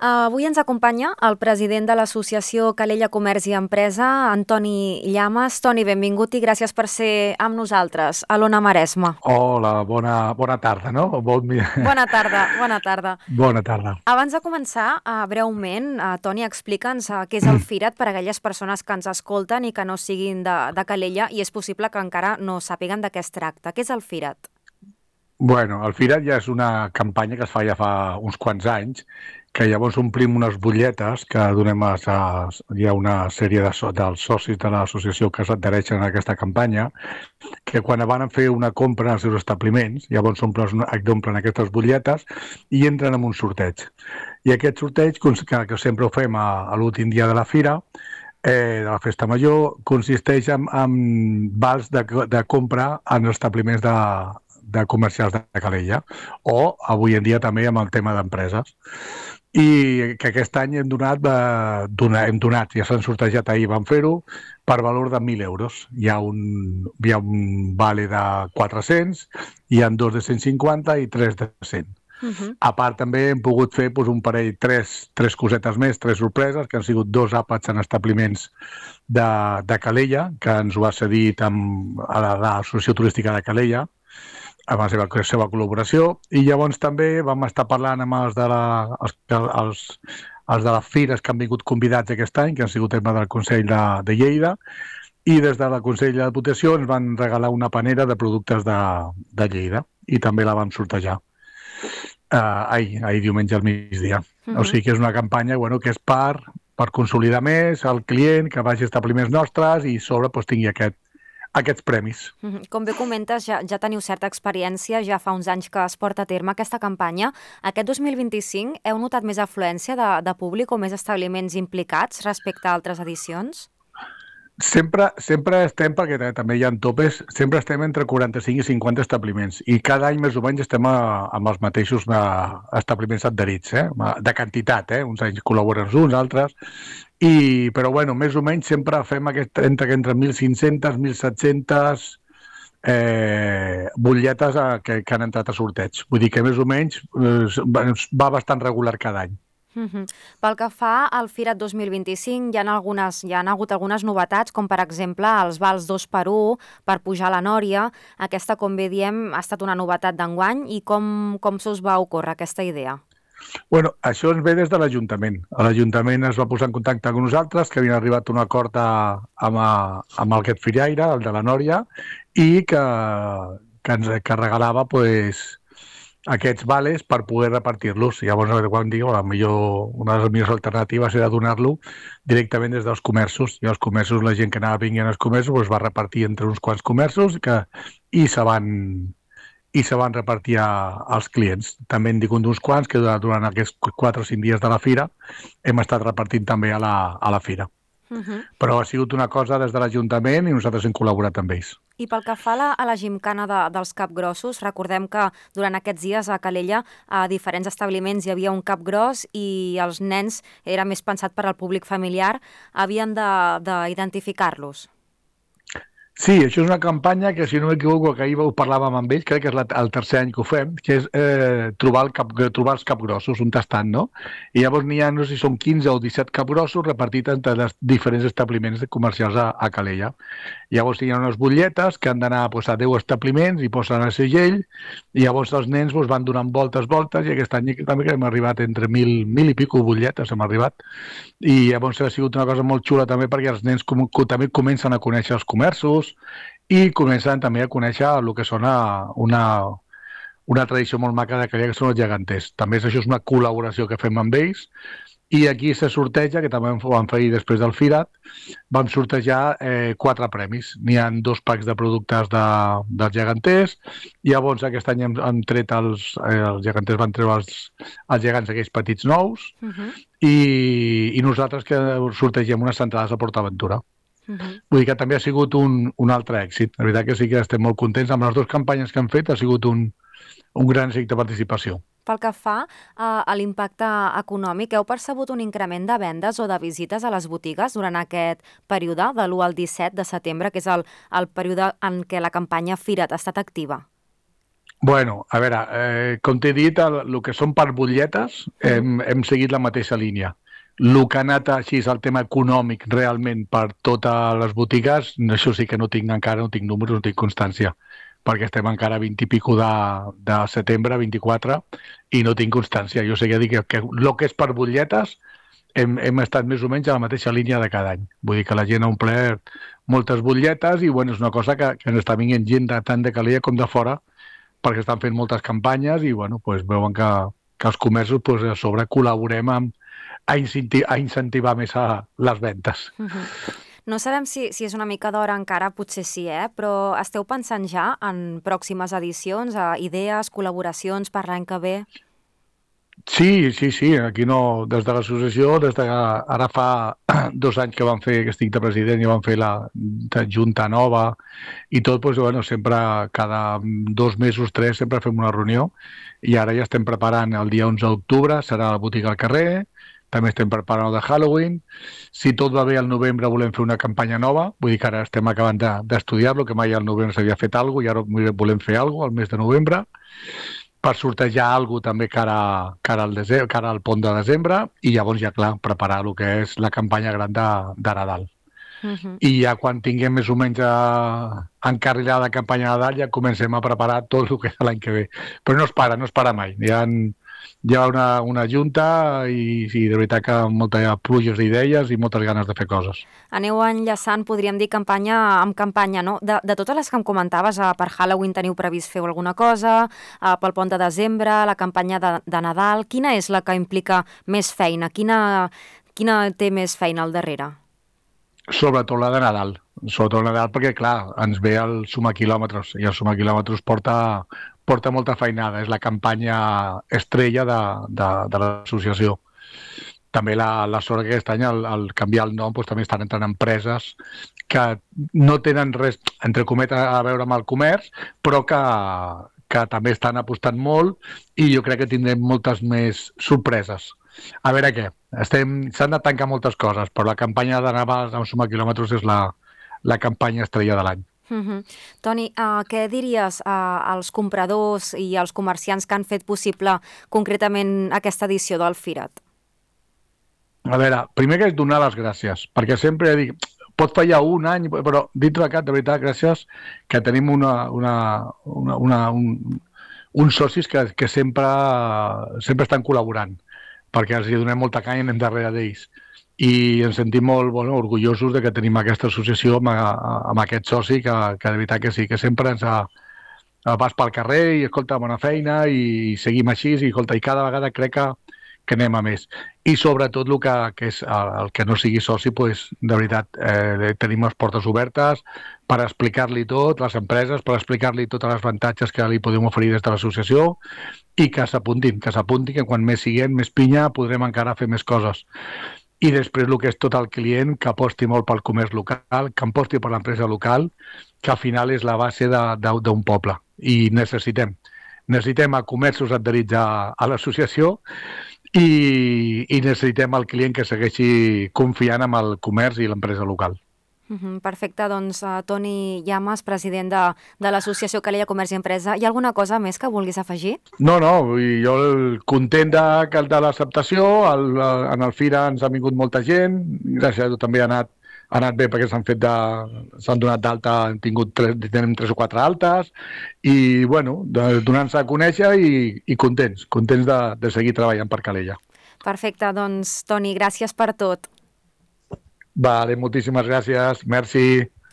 Avui ens acompanya el president de l'Associació Calella Comerç i Empresa, Antoni Llamas. Toni, benvingut i gràcies per ser amb nosaltres a l'Ona Maresma. Hola, bona tarda, no? Bona tarda, bona tarda. Bona tarda. Abans de començar, breument, Toni, explica'ns què és el Firat per a aquelles persones que ens escolten i que no siguin de Calella i és possible que encara no sàpiguen de què es tracta. Què és el Firat? Bueno, el Firat ja és una campanya que es fa ja fa uns quants anys, que llavors omplim unes butlletes que donem hi ha una sèrie dels socis de l'associació que s'adhereixen a aquesta campanya, que quan van a fer una compra als seus establiments, llavors omplen aquestes butlletes i entren en un sorteig. I aquest sorteig, que sempre ho fem a l'últim dia de la fira, de la festa major, consisteix en vals de compra en establiments de comercials de Calella, o avui en dia també amb el tema d'empreses. I que aquest any hem donat, ja s'han sortejat ahir, vam fer-ho, per valor de 1.000 euros. Hi ha un vale de 400, hi ha dos de 150 i tres de 100. A part, també hem pogut fer un parell, tres cosetes més, tres sorpreses, que han sigut dos àpats en establiments de Calella, que ens ho ha cedit a l'Associació Turística de Calella, amb la seva col·laboració, i llavors també vam estar parlant amb els de les fires que han vingut convidats aquest any, que han sigut tema del Consell de Lleida, i des del Consell de Diputació ens van regalar una panera de productes de Lleida, i també la vam sortejar ahir diumenge al migdia. O sigui que és una campanya que és per consolidar més el client, que vagi a establiments nostres i sobre tingui aquests premis. Com bé comentes, ja teniu certa experiència, ja fa uns anys que es porta a terme aquesta campanya. Aquest 2025 heu notat més afluència de públic o més establiments implicats respecte a altres edicions? Sempre estem, perquè també hi ha topes, sempre estem entre 45 i 50 establiments i cada any més o menys estem amb els mateixos establiments adherits, de quantitat, uns anys col·laboren uns, altres, però més o menys sempre fem entre 1.500 i 1.700 butlletes que han entrat a sorteig. Vull dir que més o menys va bastant regular cada any. Pel que fa al Firat 2025, hi ha hagut algunes novetats, com per exemple els vals 2x1 per pujar a la Nòria. Aquesta, com bé diem, ha estat una novetat d'enguany i com se us va ocórrer aquesta idea? Això ens ve des de l'Ajuntament. L'Ajuntament es va posar en contacte amb nosaltres, que havien arribat a un acord amb el Get Firaire, el de la Nòria, i que regalava aquests vales per poder repartir-los. Llavors, quan diu, una de les millors alternatives era donar-lo directament des dels comerços. I els comerços, la gent que anava vinguent als comerços, es va repartir entre uns quants comerços i se van repartir als clients. També en dic d'uns quants que durant aquests 4 o 5 dies de la fira hem estat repartint també a la fira. Però ha sigut una cosa des de l'Ajuntament i nosaltres hem col·laborat amb ells. I pel que fa a la gimcana dels capgrossos, recordem que durant aquests dies a Calella a diferents establiments hi havia un capgros i els nens, era més pensat per al públic familiar, havien d'identificar-los. Sí, això és una campanya que, si no m'equivoco, que ahir ho parlàvem amb ells, crec que és el tercer any que ho fem, que és trobar els capgrossos, un tastant, no? I llavors n'hi ha, no sé si són 15 o 17 capgrossos repartits entre els diferents establiments comercials a Calella. Llavors hi ha unes butlletes que han d'anar a 10 establiments i posen el segell, i llavors els nens van donant voltes, i aquest any també que hem arribat entre 1.000 i pico butlletes, hem arribat. I llavors ha sigut una cosa molt xula també perquè els nens també comencen a conèixer els comerços i comencen també a conèixer el que són una tradició molt maca de Calella, que són els geganters. També això és una col·laboració que fem amb ells, i aquí se sorteja, que també ho vam fer després del Firat, vam sortejar 4 premis. N'hi ha 2 packs de productes dels geganters, i llavors aquest any hem tret els geganters, van treure els gegants aquells petits nous, i nosaltres que sortegem unes entrades a PortAventura. Vull dir que també ha sigut un altre èxit. La veritat que sí que estem molt contents amb les 2 campanyes que hem fet, ha sigut un gran èxit de participació. Pel que fa a l'impacte econòmic, heu percebut un increment de vendes o de visites a les botigues durant aquest període, de l'1 al 17 de setembre, que és el període en què la campanya Fira't ha estat activa? Bueno, a veure, com t'he dit, el que són per butlletes hem seguit la mateixa línia. El que ha anat així és el tema econòmic realment per totes les botigues, això sí que no tinc encara, no tinc números, no tinc constància, perquè estem encara a 20 i pico de setembre, 24, i no tinc constància. Jo sé que dic que el que és per butlletes hem estat més o menys a la mateixa línia de cada any. Vull dir que la gent ha omplert moltes butlletes i bueno, és una cosa que ens està venint gent tant de Calella com de fora perquè estan fent moltes campanyes i bueno, pues, veuen que els comerços pues, a sobre col·laborem a incentivar més les ventes. No sabem si és una mica d'hora encara, potser sí, però esteu pensant ja en pròximes edicions, idees, col·laboracions per l'any que ve? Sí, aquí no, des de l'associació, des de ara fa 2 anys que vam fer, que estic de president, i vam fer la junta nova i tot, doncs, bueno, sempre cada 2 mesos, 3, sempre fem una reunió i ara ja estem preparant el dia 11 d'octubre, serà a la botiga al carrer, també estem preparant el de Halloween. Si tot va bé, al novembre volem fer una campanya nova, vull dir que ara estem acabant d'estudiar-lo, que mai al novembre s'havia fet alguna cosa i ara volem fer alguna cosa al mes de novembre per sortejar alguna cosa també cara al pont de desembre i llavors ja, clar, preparar el que és la campanya gran de Nadal. I ja quan tinguem més o menys encarrilada la campanya de Nadal ja comencem a preparar tot el que és l'any que ve. Però no es para mai. Hi ha una junta i sí, de veritat que moltes pluges d'ideies i moltes ganes de fer coses. Aneu enllaçant, podríem dir, campanya amb campanya, no? De totes les que em comentaves, per Halloween teniu previst fer alguna cosa, pel pont de desembre, la campanya de Nadal, quina és la que implica més feina? Quina té més feina al darrere? Sobretot la de Nadal. Sobretot la de Nadal perquè, clar, ens ve el suma quilòmetres i el suma quilòmetres porta molta feinada. És la campanya estrella de l'associació. També la sort que aquest any, al canviar el nom, doncs, també estan entrant empreses que no tenen res, entre cometes, a veure amb el comerç, però que també estan apostant molt i jo crec que tindrem moltes més sorpreses. A veure què, s'han de tancar moltes coses, però la campanya de Navals amb Suma Quilòmetres és la campanya estrella de l'any. Toni, què diries als compradors i als comerciants que han fet possible concretament aquesta edició del Firat? A veure, primer que és donar les gràcies, perquè sempre dic, pot fallar un any, però dintre de cap, de veritat, gràcies, que tenim uns socis que sempre estan col·laborant, perquè els donem molta canya i anem darrere d'ells. I ens sentim molt orgullosos de que tenim aquesta associació amb aquest soci que de veritat que sí, que sempre ens vas pel carrer i escolta, bona feina i seguim així i escolta, i cada vegada crec que anem a més. I sobretot que és el que no sigui soci, pues, de veritat, tenim les portes obertes per explicar-li tot, les empreses, per explicar-li tots els avantatges que li podem oferir des de l'associació i que s'apuntin, que quan més siguem, més pinya, podrem encara fer més coses. I després el que és tot el client, que aposti molt pel comerç local, que aposti per l'empresa local, que al final és la base d'un poble. I necessitem a comerços adherits a l'associació i necessitem el client que segueixi confiant en el comerç i l'empresa local. Perfecte, doncs Toni Llamas, president de l'associació Calella Comerç i Empresa. Hi ha alguna cosa més que vulguis afegir? No, jo content de l'acceptació, en el Fira ens ha vingut molta gent, gràcies a tot també ha anat bé perquè s'han donat d'alta, tenim 3 o 4 altes i bueno, donant-se a conèixer i contents de seguir treballant per Calella. Perfecte, doncs Toni, gràcies per tot. Vale, moltíssimes gràcies, merci.